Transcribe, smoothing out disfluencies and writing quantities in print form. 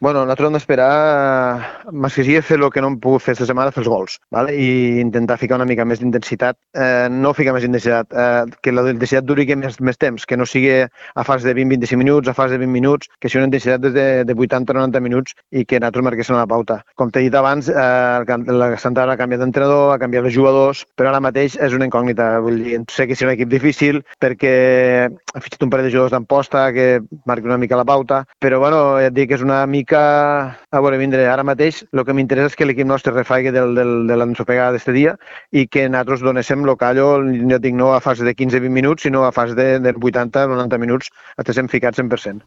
Bueno, nosaltres hem d'esperar, més que sigui fer el que no hem pogut fer aquesta setmana, fer els gols, ¿vale? I intentar ficar una mica més d'intensitat. No ficar més intensitat, que la intensitat duri més temps, que no sigui a fase de 20-25 minuts, a fase de 20 minuts, que sigui una intensitat de 80-90 minuts i que nosaltres marquéssim una pauta. Com t'he dit abans, la Santana ha canviat d'entrenador, ha canviat de jugadors, però ara mateix és una incògnita. Vull dir, sé que serà un equip difícil perquè ha fitxat un parell de jugadors d'amposta que marqui una mica la pauta, però bueno, ja et dic que és una mica a veure vindre. Ara mateix el que m'interessa és que l'equip nostre refaigui de l'ensopegada d'este dia i que nosaltres donéssim el callo, ja dic, no a fase de 15-20 minuts, sinó a fase de 80-90 minuts, estiguem ficats 100%.